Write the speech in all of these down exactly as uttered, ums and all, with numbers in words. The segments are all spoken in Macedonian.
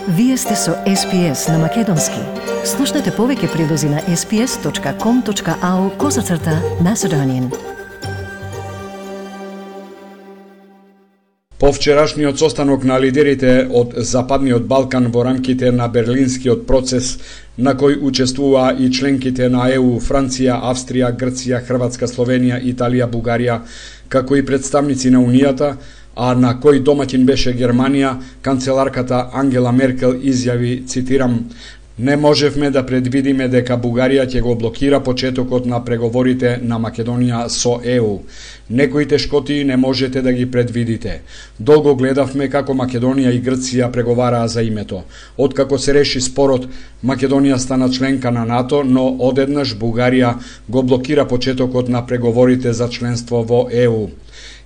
Вие сте со Ес Пи Ес на Македонски. Слушнете повеќе прилози на ес пи ес точка ком точка ау козацрта Macedonian. По вчерашниот состанок на лидерите од Западниот Балкан во рамките на Берлинскиот процес, на кој учествуваа и членките на Е У, Франција, Австрија, Грција, Хрватска, Словенија, Италија, Бугарија, како и представници на Унијата, а на кој домаќин беше Германија, канцеларката Ангела Меркел изјави, цитирам: "Не можевме да предвидиме дека Бугарија ќе го блокира почетокот на преговорите на Македонија со Е У. Некои тешкоти не можете да ги предвидите. Долго гледавме како Македонија и Грција преговараа за името. Откако се реши спорот, Македонија стана членка на НАТО, но одеднаш Бугарија го блокира почетокот на преговорите за членство во Е У.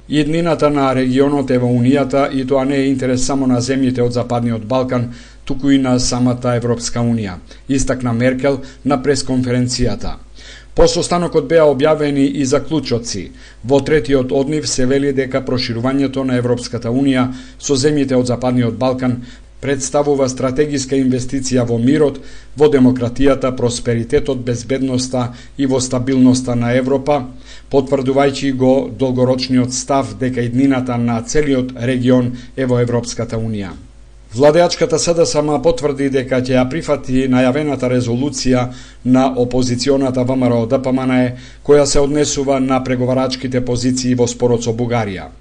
Иднината на регионот е во Унијата и тоа не е интерес само на земјите од Западниот Балкан, туку и на самата Европска Унија", истакна Меркел на пресконференцијата. По состанокот беа објавени и заклучоци. Во третиот од нив се вели дека проширувањето на Европската Унија со земјите од Западниот Балкан представува стратегиска инвестиција во мирот, во демократијата, просперитетот, безбедноста и во стабилноста на Европа, потврдувајќи го долгорочниот став дека иднината на целиот регион е во Европската Унија. Владеачката С Д С М потврди дека ќе ја прифати најавената резолуција на опозиционата Вэ М Р О Д П М Н Е, која се однесува на преговарачките позиции во спорот со Бугарија.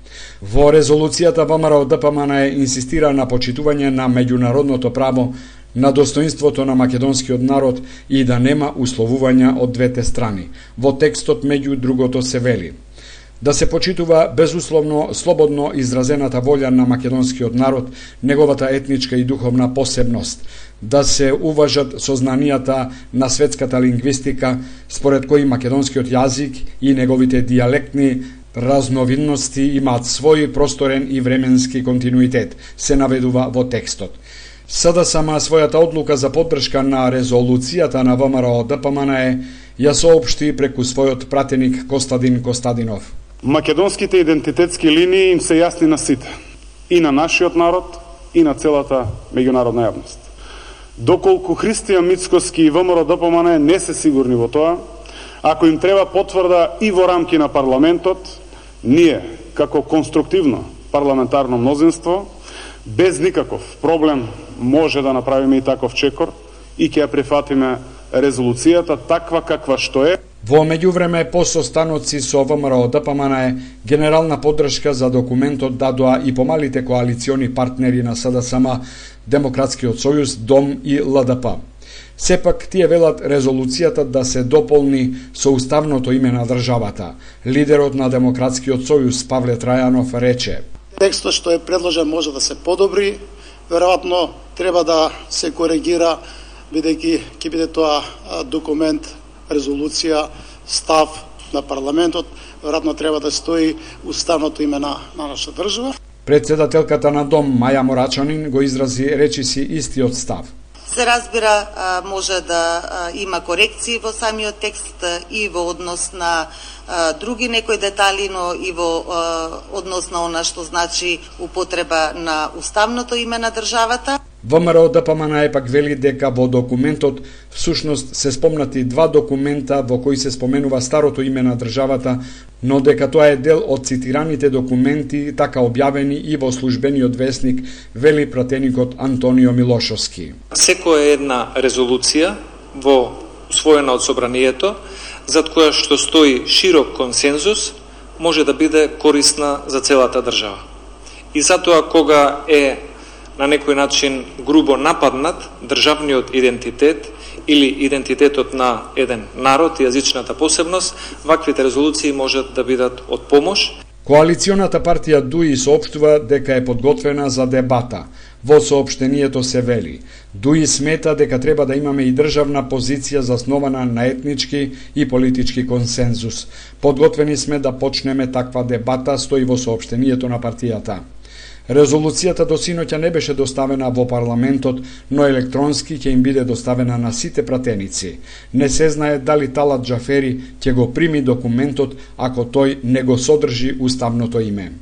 Во резолуцијата Вэ М Р О Д П М Н Е инсистира на почитување на меѓународното право, на достоинството на македонскиот народ и да нема условувања од двете страни. Во текстот меѓу другото се вели: да се почитува безусловно слободно изразената волја на македонскиот народ, неговата етничка и духовна посебност, да се уважат сознанијата на светската лингвистика, според кои македонскиот јазик и неговите дијалектни разновидности имаат свој просторен и временски континуитет, се наведува во текстот. С Д С М својата одлука за поддршка на резолуцијата на Вэ М Р О Д П М Н Е ја соопшти преку својот пратеник Костадин Костадинов. Македонските идентитетски линии им се јасни на сите, и на нашиот народ, и на целата меѓународна јавност. Доколку Христијан Мицкоски и Вэ М Р О Д П М Н Е не се сигурни во тоа, ако им треба потврда и во рамки на парламентот, ние, како конструктивно парламентарно мнозинство, без никаков проблем може да направиме и таков чекор и ќе ја прифатиме резолуцијата таква каква што е. Во меѓувреме, по состаноци со Вэ М Р О Д П М Н Е, генерална поддршка за документот дадоа и помалите коалициони партнери на С Д С М, Демократскиот сојуз, Дом и Л Д П. Сепак, тие велат резолуцијата да се дополни со уставното име на државата. Лидерот на Демократскиот сојуз, Павле Трајанов, рече: "Текстот што е предложен може да се подобри, веројатно треба да се коригира, бидејќи ќе биде тоа документ, резолуција, став на парламентот, веројатно треба да стои уставното име на, на нашата држава." Председателката на Дом, Маја Морачанин, го изрази речиси истиот став. Се разбира, може да има корекции во самиот текст и во однос на други некои детали, но и во однос на она што значи употреба на уставното име на државата. Вэ М Р О Д П М Н Е пак вели дека во документот всушност се спомнати два документа во кои се споменува старото име на државата, но дека тоа е дел од цитираните документи така објавени и во службениот весник, вели пратеникот Антонио Милошовски. Секоја една резолуција во усвоена од собранието, зад која што стои широк консензус, може да биде корисна за целата држава. И затоа кога е на некој начин грубо нападнат државниот идентитет или идентитетот на еден народ и јазичната посебност, ваквите резолуции можат да бидат од помош. Коалиционата партија ДУИ соопштува дека е подготвена за дебата. Во соопштението се вели: ДУИ смета дека треба да имаме и државна позиција заснована на етнички и политички консензус. Подготвени сме да почнеме таква дебата, стои во соопштението на партијата. Резолуцијата до синоќа не беше доставена во парламентот, но електронски ќе им биде доставена на сите пратеници. Не се знае дали Талат Џафери ќе го прими документот ако тој не го содржи уставното име.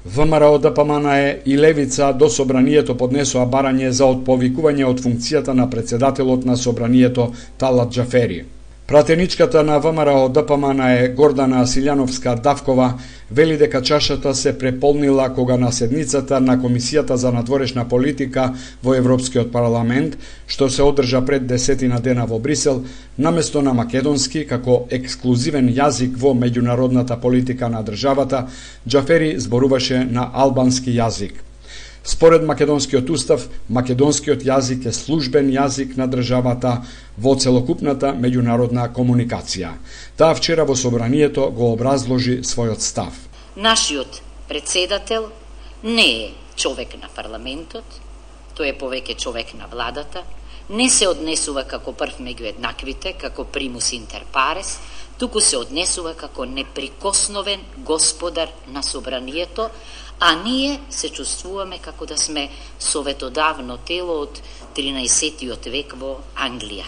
ВМРО Д П М Н Е и Левица до собранието поднесоа барање за отповикување од функцијата на председателот на собранието Талат Џафери. Пратеничката на ВМРО Д П М Н Е Гордана Силјановска-Давкова вели дека чашата се преполнила кога на седницата на Комисијата за надворешна политика во Европскиот парламент, што се одржа пред десетина дена во Брисел, наместо на македонски како ексклузивен јазик во меѓународната политика на државата, Џафери зборуваше на албански јазик. Според македонскиот устав, македонскиот јазик е службен јазик на државата во целокупната меѓународна комуникација. Таа вчера во собранието го образложи својот став. Нашиот председател не е човек на парламентот, тој е повеќе човек на владата, не се однесува како прв меѓу еднаквите, како примус интер парес, туку се однесува како неприкосновен господар на собранието, а ние се чувствуваме како да сме советодавно тело од тринаесеттиот век во Англија.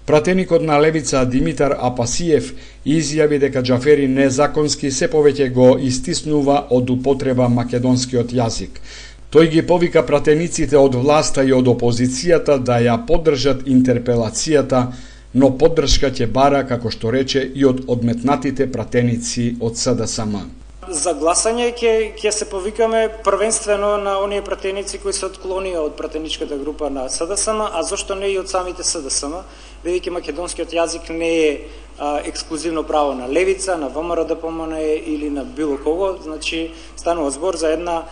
Пратеникот на Левица Димитар Апасиев изјави дека Џафери незаконски се повеќе го истиснува од употреба македонскиот јазик. Тој ги повика пратениците од власта и од опозицијата да ја поддржат интерпелацијата, но поддршка ќе бара, како што рече, и од одметнатите пратеници од С Д С М. За гласање ќе ќе се повикаме првенствено на оние пратеници кои се отклонија од пратеничката група на С Д С М, а зошто не и од самите С Д С М, бидејќи македонскиот јазик не е а, ексклузивно право на Левица, на ВМРО Д П М Н Е или на било кого, значи станува збор за една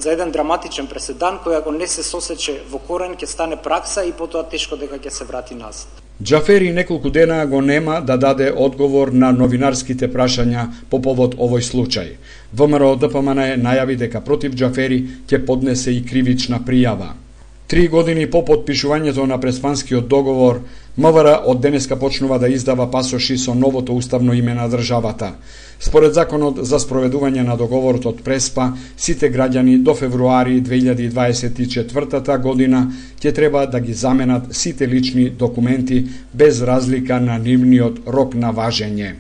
за еден драматичен преседан кој ако не се сосече во корен ќе стане пракса и потоа тешко дека ќе се врати назад. Џафери неколку дена го нема да даде одговор на новинарските прашања по повод овој случај. ВМРО Д П М Н Е најави дека против Џафери ќе поднесе и кривична пријава. Три години по потпишувањето на Преспанскиот договор, М В Р од денеска почнува да издава пасоши со новото уставно име на државата. Според законот за спроведување на договорот од Преспа, сите граѓани до февруари две илјади дваесет и четвртата година ќе треба да ги заменат сите лични документи без разлика на нивниот рок на важење.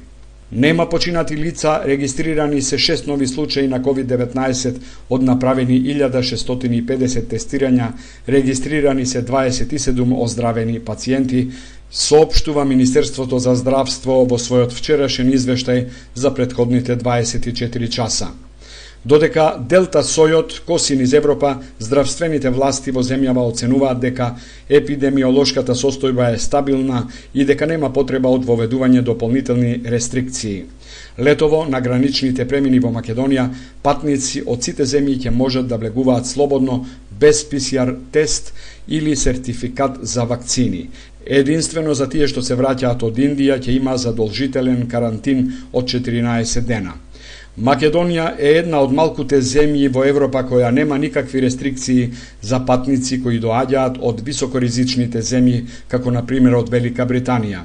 Нема починати лица, регистрирани се шест нови случаи на ковид деветнаесет од направени илјада шестстотини и педесет тестирања, регистрирани се дваесет и седум оздравени пациенти, соопштува Министерството за здравство во својот вчерашен извештај за претходните дваесет и четири часа. Додека Делта сојот коси низ Европа, здравствените власти во земјава оценуваат дека епидемиолошката состојба е стабилна и дека нема потреба од воведување дополнителни рестрикции. Летово на граничните премини во Македонија патници од сите земји ќе можат да влегуваат слободно без П С Р тест или сертификат за вакцини. Единствено за тие што се враќаат од Индија ќе има задолжителен карантин од четиринаесет дена. Македонија е една од малкуте земји во Европа која нема никакви рестрикции за патници кои доаѓаат од високоризичните земји, како на пример од Велика Британија.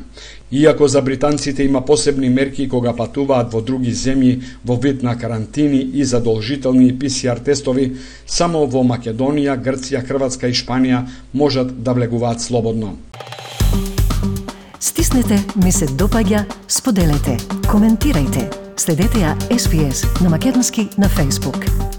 Иако за британците има посебни мерки кога патуваат во други земји во вид на карантини и задолжителни П С Р тестови, само во Македонија, Грција, Хрватска и Шпанија можат да влегуваат слободно. Стиснете, ми се допаѓа, споделете, коментирајте. Следете ја С П С на македонски на Facebook.